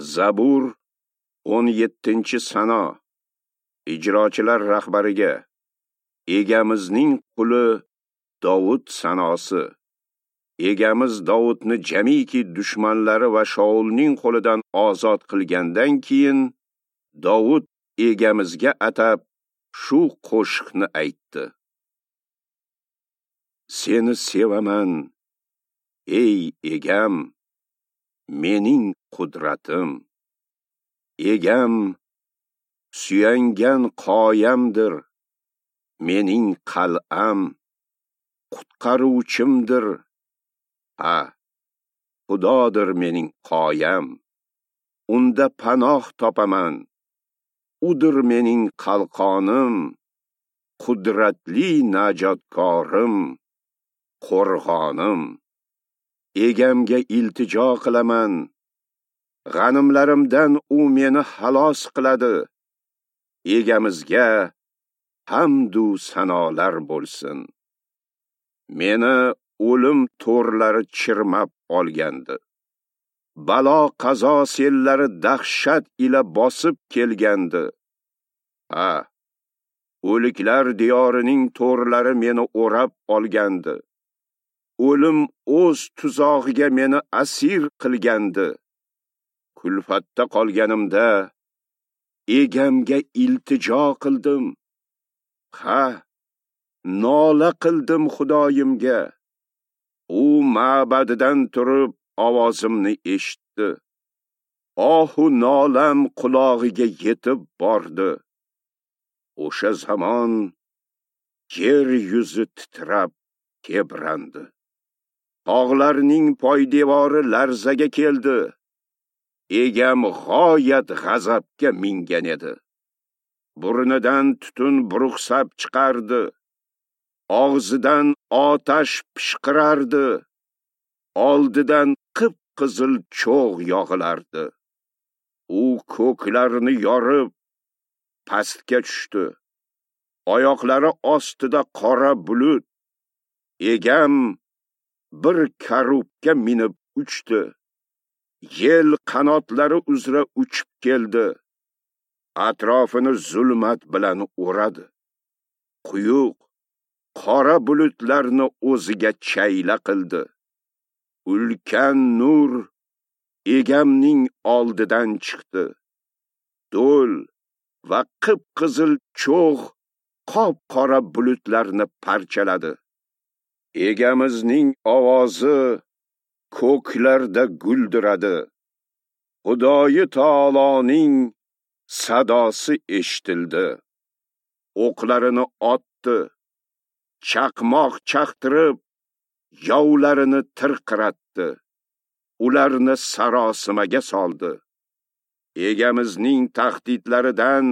Zabur 17-sano. Ijrochilar rahbariga Egamizning quli Dovud sanosi. Egamiz Dovudni jamiki dushmanlari va Shaulning qo'lidan ozod qilgandan keyin Dovud Egamizga atab shu qo'shiqni aytdi. Seni sevaman, ey Egam, mening qudratim. Egam suyangan qoyamdir, mening qal'am, qutqaruvchimdir. Ha, Xudodir mening qoyam, unda panoh topaman. Udir mening qalqonim, qudratli najotkorim, qo'rg'onim. Egamga iltijo qilaman. G'animlarimdan u meni xalos qiladi. Egamizga hamdu sanolar bo'lsin. Meni o'lim to'rlari chirmab olgandi. Balo qazo sellari dahshat ila bosib kelgandi. Ha, o'liklar diyorining to'rlari meni o'rab olgandi. O'lim o'z tuzog'iga meni asir qilgandi. Kulfatda qolganimda Egamga iltijo qildim. Ha, nola qildim Xudoyimga. U ma'badidan turib ovozimni eshitdi. Ohu nolam qulog'iga yetib bordi. O'sha zamon yer yuzi titrab tebrandi. Tog'larning poydevori larzaga keldi. Egam g'oyat g'azabga mingan edi. Burnidan tutun buruqsab chiqardi. Og'zidan otash pishqirardi. Oldidan qip-qizil cho'g' yog'ilardi. U ko'klarni yorib pastga tushdi. Oyoqlari ostida qora bulut. Egam bir karubga minib uchdi. Yel qanotlari uzra uchib keldi. Atrofini zulmat bilan o'radi. Quyuq qora bulutlarni o'ziga chayla qildi. Ulkan nur Egamning oldidan chiqdi. Do'l va qip-qizil cho'g' qop-qora bulutlarni parchaladi. Egamizning ovozi ko'klarda guldiradi. Xudoyi taoloning sadosi eshitildi. O'qlarini otdi, chaqmoq chaqtirib, yovlarini tirqiratdi. Ularni sarosimaga soldi. Egamizning tahdidlaridan,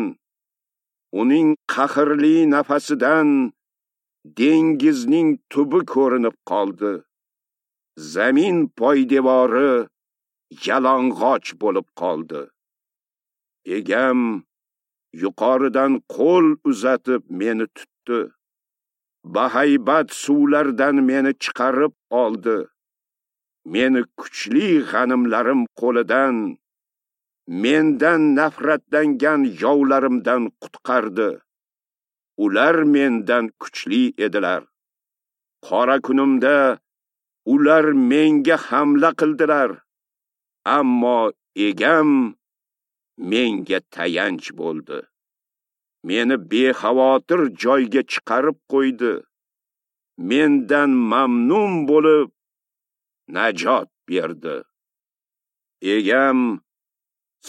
uning qahrli nafasidan dengizning tubi ko'rinib qoldi. Zamin poydevori yalang'och bo'lib qoldi. Egam yuqoridan qo'l uzatib meni tutdi. Bahaybat suvlardan meni chiqarib oldi. Meni kuchli g'animlarim qo'lidan, mendan nafratlangan yovlarimdan qutqardi. Ular mendan kuchli edilar. Qora kunimda ular menga hamla qildilar, ammo Egam menga tayanch bo'ldi. Meni bexavotir joyga chiqarib qo'ydi. Mendan mamnun bo'lib najot berdi. Egam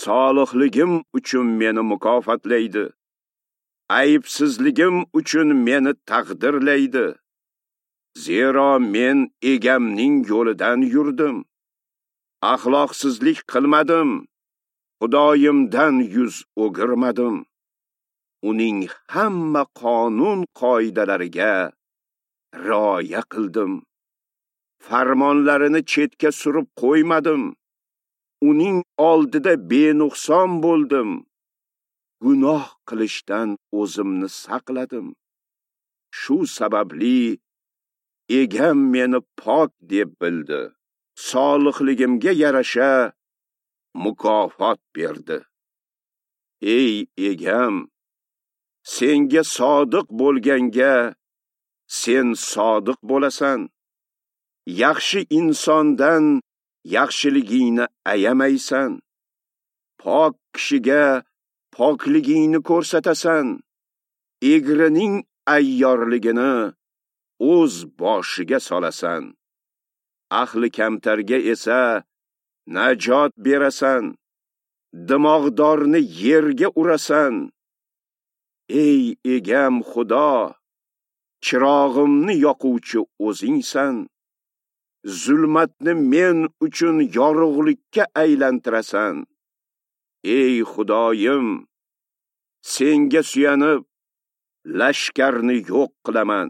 solihligim uchun meni mukofotlaydi. Aybsizligim uchun meni taqdirlaydi. Zero men Egamning yo'lidan yurdim. Axloqsizlik qilmadim. Xudoyimdan yuz o'girmadim. Uning hamma qonun qoidalariga rioya qildim. Farmonlarini chetga surib qo'ymadim. Uning oldida benuqson bo'ldim. Gunoh qilishdan o'zimni saqladim. Shu sababli Egam meni pok deb bildi. Solihligimga yarasha mukofot berdi. Ey egam, senga sodiq bo'lganga sen sodiq bo'lasan. Yaxshi insondan yaxshiligingni ayamaysan. Pok kishiga pokligingni ko'rsatasan. Egrining ayyorligini o'z boshiga solasan. Ahli kamtarga esa najot berasan. Dimog'dorni yerga urasan. Ey egam Xudo, chirog'imni yoquvchi o'zingsan. Zulmatni men uchun yorug'likka aylantirasan. Ey Xudoyim, senga suyanib lashkarni yo'q qilaman.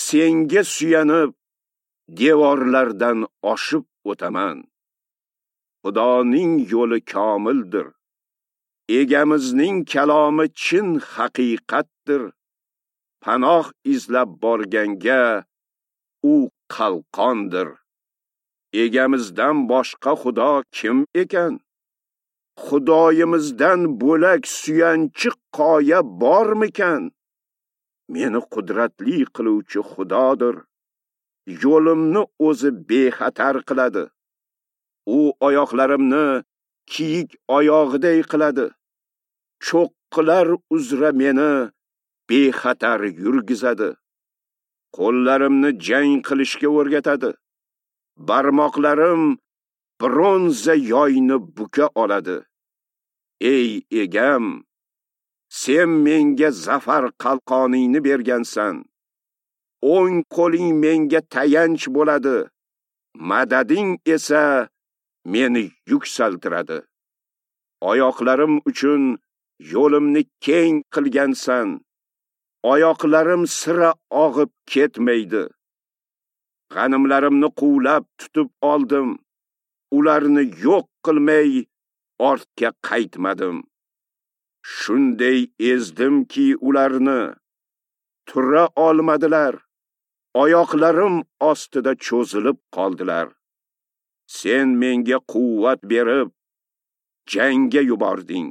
Senga suyanib devorlardan oshib o'taman. Xudoning yo'li komildir. Egamizning kalomi chin haqiqatdir. Panoh izlab borganga u qalqondir. Egamizdan boshqa Xudo kim ekan? Xudoyimizdan bo'lak suyanchiq qoya bormikan? Meni qudratli qiluvchi Xudodir. Yo'limni o'zi bexatar qiladi. U oyoqlarimni kiyik oyog'iday qiladi. Cho'qqilar uzra meni bexatar yurgizadi. Qo'llarimni jang qilishga o'rgatadi. Barmoqlarim bronza yoyni buka oladi. Ey egam, sen menga zafar qalqoningni bergansan. O'ng qo'ling menga tayanch bo'ladi. Madading esa meni yuksaltiradi. Oyoqlarim uchun yo'limni keng qilgansan. Oyoqlarim sira og'ib ketmaydi. G'animlarimni quvlab tutib oldim. Ularni yo'q qilmay ortga qaytmadim. Shunday ezdimki ularni tura olmadilar. Oyoqlarim ostida cho'zilib qoldilar. Sen menga quvvat berib jangga yubording.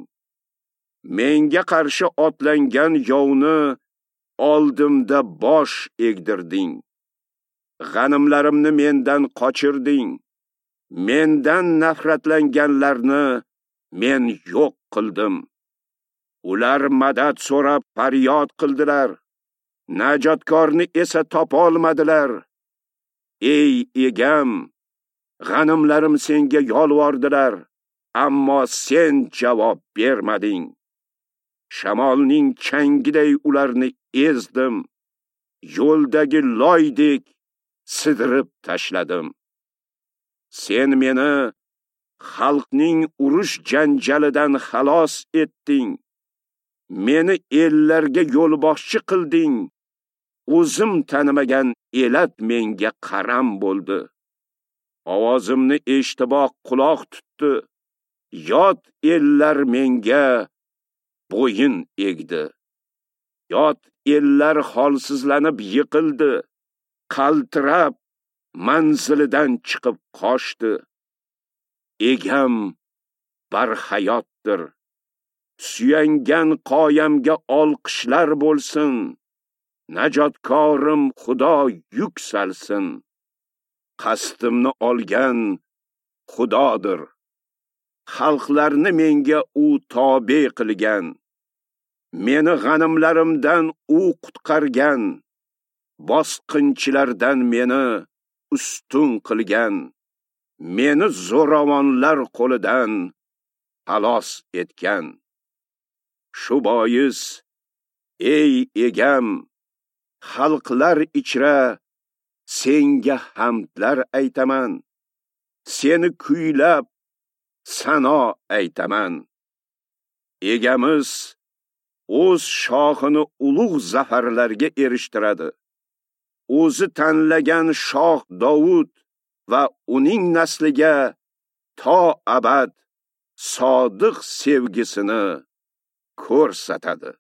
Menga qarshi otlangan yovni oldimda bosh egdirding. G'animlarimni mendan qochirding. Mendan nafratlanganlarni men yo'q qildim. Ular madad so'rab faryod qildilar. Najotkorni esa topolmadilar. Ey egam, g'animlarim senga yolvordilar, ammo sen javob bermading. Shamolning changiday ularni ezdim. Yo'ldagi loydek sidirib tashladim. Sen meni xalqning urush janjalidan xalos etding. Meni ellarga yo'lboshchi qilding. O'zim tanimagan elat menga qaram bo'ldi. Ovozimni eshitiboq quloq tutdi. Yot ellar menga bo'yin egdi. Yot ellar holsizlanib yiqildi. Qaltirab manzilidan chiqib qochdi. Egam barhayotdir. Suyangan qoyamga olqishlar bo'lsin. Najotkorim Xudo yuksalsin. Qasdimni olgan Xudodir. Xalqlarni menga u tobe qilgan. Meni g'animlarimdan u qutqargan. Bosqinchilardan meni ustun qilgan. Meni zo'ravonlar qo'lidan xalos etgan. Shu bois, ey egam, xalqlar ichra senga hamdlar aytaman. Seni kuylab sano aytaman. Egamiz o'z shoxini ulug' zafarlarga erishtiradi. O'zi tanlagan shoh Dovud va uning nasliga to abad sodiq sevgisini ko'rsatadi.